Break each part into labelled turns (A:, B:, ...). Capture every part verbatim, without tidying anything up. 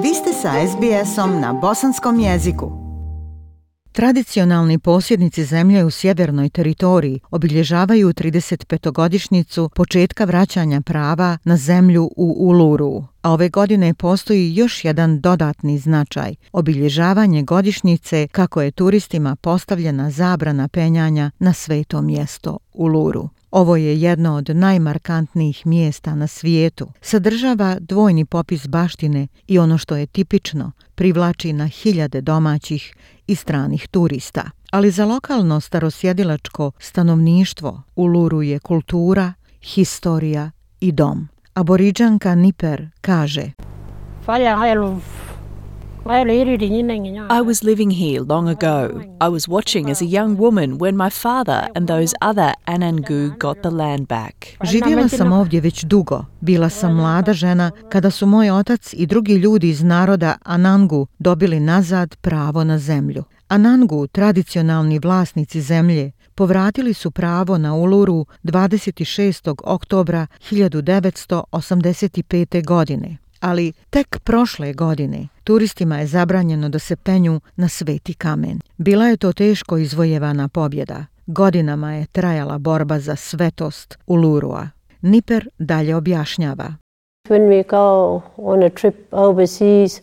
A: Vi ste sa es be esom na bosanskom jeziku. Tradicionalni posjednici zemlje u sjevernoj teritoriji obilježavaju tridesetpetogodišnjicu početka vraćanja prava na zemlju u Uluru, a ove godine postoji još jedan dodatni značaj – obilježavanje godišnjice kako je turistima postavljena zabrana penjanja na sveto mjesto Uluru. Ovo je jedno od najmarkantnijih mjesta na svijetu. Sadržava dvojni popis baštine i ono što je tipično, privlači na hiljade domaćih i stranih turista. Ali za lokalno starosjedilačko stanovništvo Uluru je kultura, historija i dom. Aboriđanka Niper kaže:
B: I was living here long ago. I was watching as a young woman when my father and those other Anangu got the land back.
A: Živjela sam ovdje već dugo. Bila sam mlada žena kada su moj otac i drugi ljudi iz naroda Anangu dobili nazad pravo na zemlju. Anangu, tradicionalni vlasnici zemlje, povratili su pravo na Uluru dvadeset šestog oktobra hiljadu devetsto osamdeset pete. godine. Ali tek prošle godine turistima je zabranjeno da se penju na sveti kamen. Bila je to teško izvojevana pobjeda. Godinama je trajala borba za svetost Ulurua. Niper dalje objašnjava.
C: When we go on a trip overseas,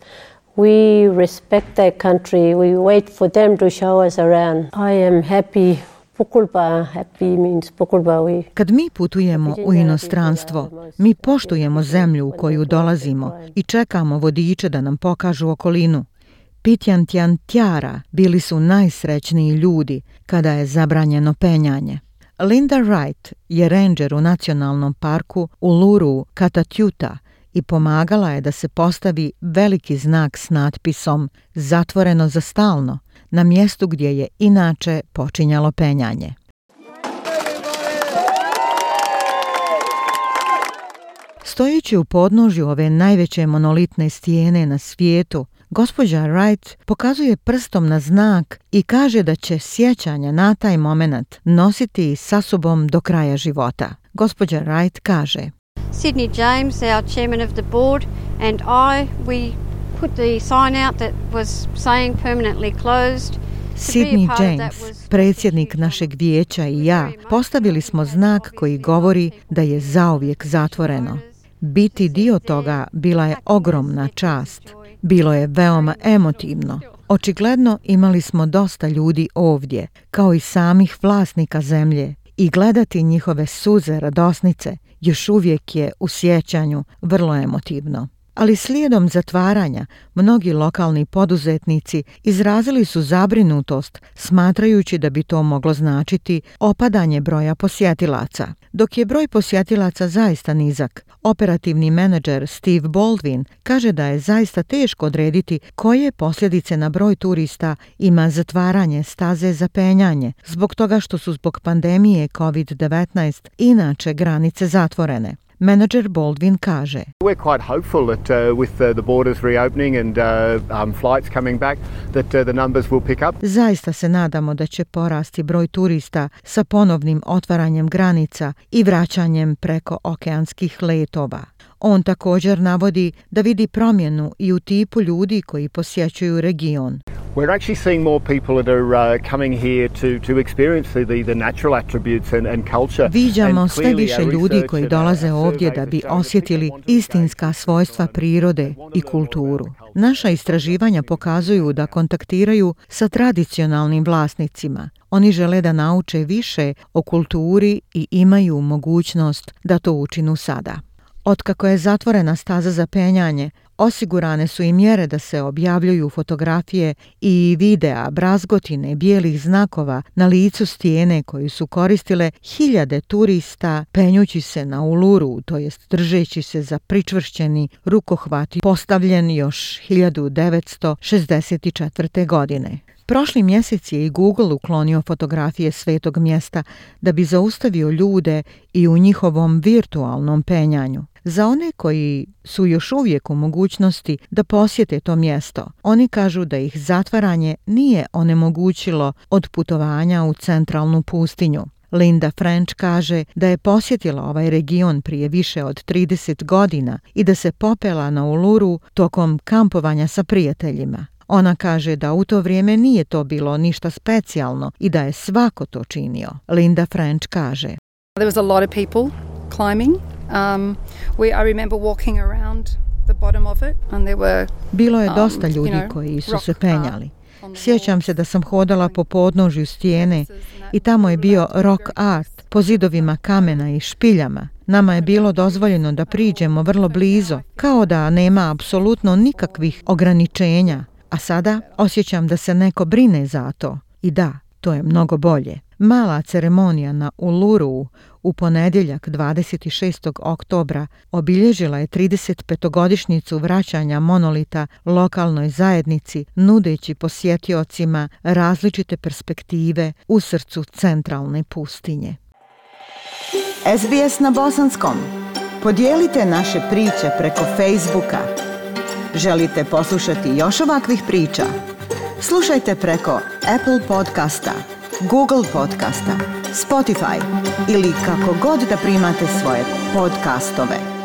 C: we respect their country. We wait for them to show us around. I am happy.
A: Kad mi putujemo u inostranstvo, mi poštujemo zemlju u koju dolazimo i čekamo vodiče da nam pokažu okolinu. Pitjantjan Tjara bili su najsrećniji ljudi kada je zabranjeno penjanje. Linda Wright je ranger u nacionalnom parku Uluru Katatjuta i pomagala je da se postavi veliki znak s natpisom "Zatvoreno za stalno" na mjestu gdje je inače počinjalo penjanje. Stojeći u podnožju ove najveće monolitne stijene na svijetu, gospođa Wright pokazuje prstom na znak i kaže da će sjećanja na taj moment nositi sa sobom do kraja života. Gospođa Wright kaže:
D: Sydney James, our chairman of the board, and I, we put the sign out that was saying permanently closed.
A: Sydney James, predsjednik našeg vijeća, i ja postavili smo znak koji govori da je zauvijek zatvoreno. Biti dio toga bila je ogromna čast. Bilo je veoma emotivno. Očigledno imali smo dosta ljudi ovdje, kao i samih vlasnika zemlje, i gledati njihove suze radosnice još uvijek je u sjećanju vrlo emotivno. Ali slijedom zatvaranja, mnogi lokalni poduzetnici izrazili su zabrinutost, smatrajući da bi to moglo značiti opadanje broja posjetilaca. Dok je broj posjetilaca zaista nizak, operativni menadžer Steve Baldwin kaže da je zaista teško odrediti koje posljedice na broj turista ima zatvaranje staze za penjanje, zbog toga što su zbog pandemije kovid devetnaest inače granice zatvorene. Menadžer Baldwin kaže:
E: We're quite hopeful that uh, with uh, the borders reopening and uh, um, flights coming back that uh, the numbers will pick up.
A: Zaista se nadamo da će porasti broj turista sa ponovnim otvaranjem granica i vraćanjem preko okeanskih letova. On također navodi da vidi promjenu i u tipu ljudi koji posjećuju region.
E: We're actually seeing more people that are uh, coming here to to experience the the natural attributes and and culture.
A: Viđamo sve više ljudi koji dolaze ovdje da bi osjetili istinska svojstva prirode i kulturu. Naša istraživanja pokazuju da kontaktiraju sa tradicionalnim vlasnicima. Oni žele da nauče više o kulturi i imaju mogućnost da to učinu sada. Otkako je zatvorena staza za penjanje, osigurane su i mjere da se objavljuju fotografije i videa brazgotine bijelih znakova na licu stijene koju su koristile hiljade turista penjući se na Uluru, to jest držeći se za pričvršćeni rukohvat postavljen još hiljadu devetsto šezdeset četvrte. godine. Prošli mjesec je i Google uklonio fotografije svetog mjesta da bi zaustavio ljude i u njihovom virtualnom penjanju. Za one koji su još uvijek u mogućnosti da posjete to mjesto, oni kažu da ih zatvaranje nije onemogućilo od putovanja u centralnu pustinju. Linda French kaže da je posjetila ovaj region prije više od trideset godina i da se popela na Uluru tokom kampovanja sa prijateljima. Ona kaže da u to vrijeme nije to bilo ništa specijalno i da je svako to činio. Linda French kaže:
F: There was a lot of people climbing. Um, we, I remember walking around the bottom of it and there were
A: Bilo je dosta ljudi koji su se penjali. Sjećam se da sam hodala po podnožju stijene i tamo je bio rock art po zidovima kamena i špiljama. Nama je bilo dozvoljeno da priđemo vrlo blizu, kao da nema apsolutno nikakvih ograničenja, a sada osjećam da se neko brine za to. I da, to je mnogo bolje. Mala ceremonija na Uluru u ponedjeljak dvadeset šestog oktobra obilježila je tridesetpetogodišnjicu vraćanja monolita lokalnoj zajednici, nudeći posjetiocima različite perspektive u srcu centralne pustinje.
G: S B S na bosanskom. Podijelite naše priče preko Facebooka. Želite poslušati još ovakvih priča? Slušajte preko Apple podcasta, Google podcasta, Spotify ili kako god da primate svoje podcastove.